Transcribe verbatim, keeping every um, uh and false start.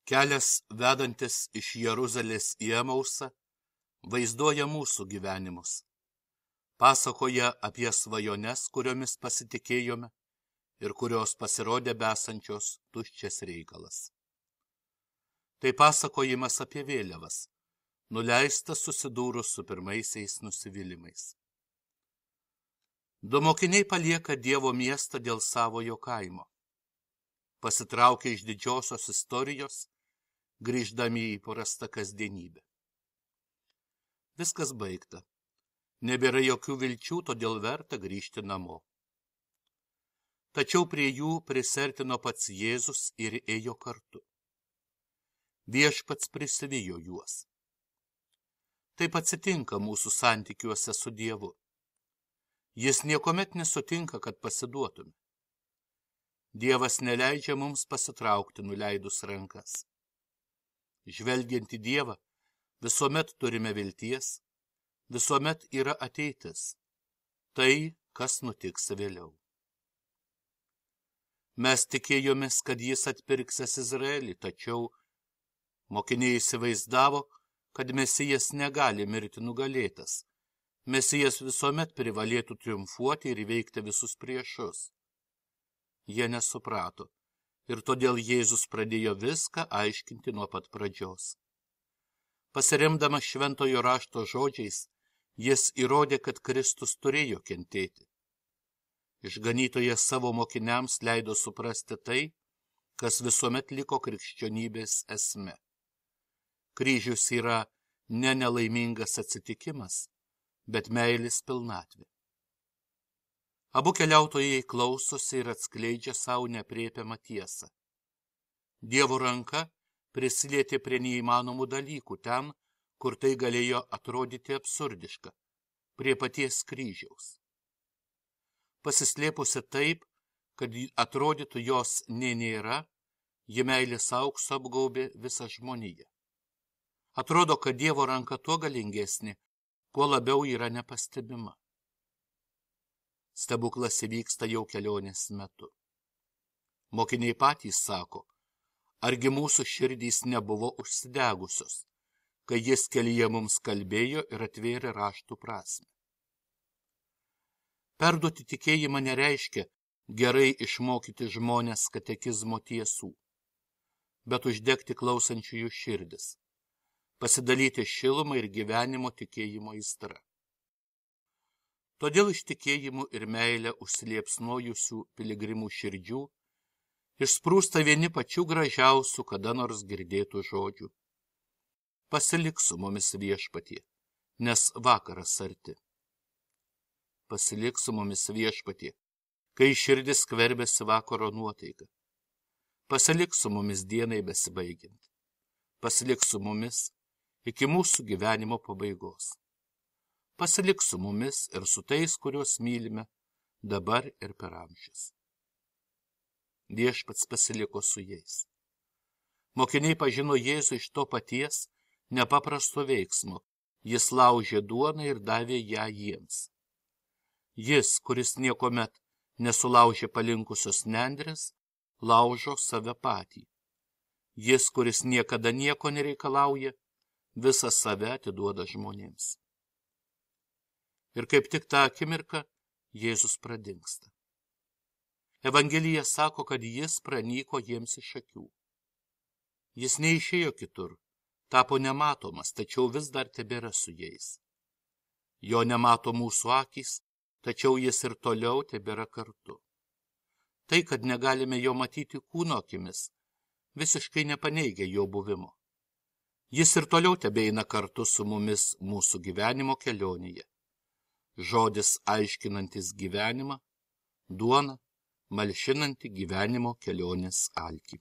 Kelias vedantis iš Jeruzalės į Emausą vaizduoja mūsų gyvenimus. Pasakoja apie svajones, kuriomis pasitikėjome ir kurios pasirodė besančios tuščias reikalas. Tai pasakojimas apie vėliavas, nuleistas susidūrus su pirmaisiais nusivylimais. Du mokiniai palieka Dievo miestą dėl savojo kaimo. Pasitraukia iš didžiosios istorijos, grįždami į įprastą kasdienybę. Viskas baigta. Nebėra jokių vilčių, todėl verta grįžti namo. Tačiau prie jų prisertino pats Jėzus ir ėjo kartu. Viešpats prisivijo juos. Taip atsitinka mūsų santykiuose su Dievu. Jis niekuomet nesutinka, kad pasiduotume. Dievas neleidžia mums pasitraukti nuleidus rankas. Žvelgiant į Dievą, visuomet turime vilties, visuomet yra ateitis, tai, kas nutiks vėliau. Mes tikėjomės, kad jis atpirksės Izraelį, tačiau mokiniai įsivaizdavo, kad Mesijas negali mirti nugalėtas. Mesijas visuomet privalėtų triumfuoti ir įveikti visus priešus. Jie nesuprato, ir todėl Jėzus pradėjo viską aiškinti nuo pat pradžios. Pasiremdamas šventojo rašto žodžiais, jis įrodė, kad Kristus turėjo kentėti. Išganytojas savo mokiniams leido suprasti tai, kas visuomet liko krikščionybės esme. Kryžius yra ne nelaimingas atsitikimas, bet meilės pilnatvė. Abu keliautojai klausosi ir atskleidžia savo neaprėpiamą tiesą. Dievo ranka prisilietė prie neįmanomų dalykų ten, kur tai galėjo atrodyti absurdiška, prie paties kryžiaus. Pasislėpusi taip, kad atrodytų jos nė nėra, ji meilės aukso apgaubė visą žmoniją. Atrodo, kad Dievo ranka tuo galingesnė, kuo labiau yra nepastebima. Stebuklas įvyksta jau kelionės metu. Mokiniai patys sako, argi mūsų širdys nebuvo užsidegusios, kai jis kelyje mums kalbėjo ir atvėrė raštų prasmę. Perduoti tikėjimą nereiškia gerai išmokyti žmonės katekizmo tiesų, bet uždegti klausančiųjų širdis, pasidalyti šilumą ir gyvenimo tikėjimo aistra. Todėl iš tikėjimų ir meilę užsiliepsnojusių piligrimų širdžių išsprūsta vieni pačių gražiausių kada nors girdėtų žodžių. Pasilik su mumis Viešpatie, nes vakaras arti. Pasilik su mumis Viešpatie, kai širdis skverbiasi vakaro nuotaika. Pasilik su mumis dienai besibaigiant. Pasilik su mumis iki mūsų gyvenimo pabaigos. Pasilik su mumis ir su tais, kuriuos mylime dabar ir per amžius. Viešpats pasiliko su jais. Mokiniai pažino Jėzų iš to paties nepaprasto veiksmo. Jis laužė duoną ir davė ją jiems. Jis, kuris niekomet nesulaužė palinkusios nendrės, laužo save patį. Jis, kuris niekada nieko nereikalauja, visą save atiduoda žmonėms. Ir kaip tik tą akimirką Jėzus pradingsta. Evangelija sako, kad jis pranyko jiems iš akių. Jis neišėjo kitur, tapo nematomas, tačiau vis dar tebėra su jais. Jo nemato mūsų akys, tačiau jis ir toliau tebėra kartu. Tai, kad negalime jo matyti kūno akimis, visiškai nepaneigia jo buvimo. Jis ir toliau tebeina kartu su mumis mūsų gyvenimo kelionėje. Žodis aiškinantis gyvenimą, duona, malšinanti gyvenimo kelionės alkį.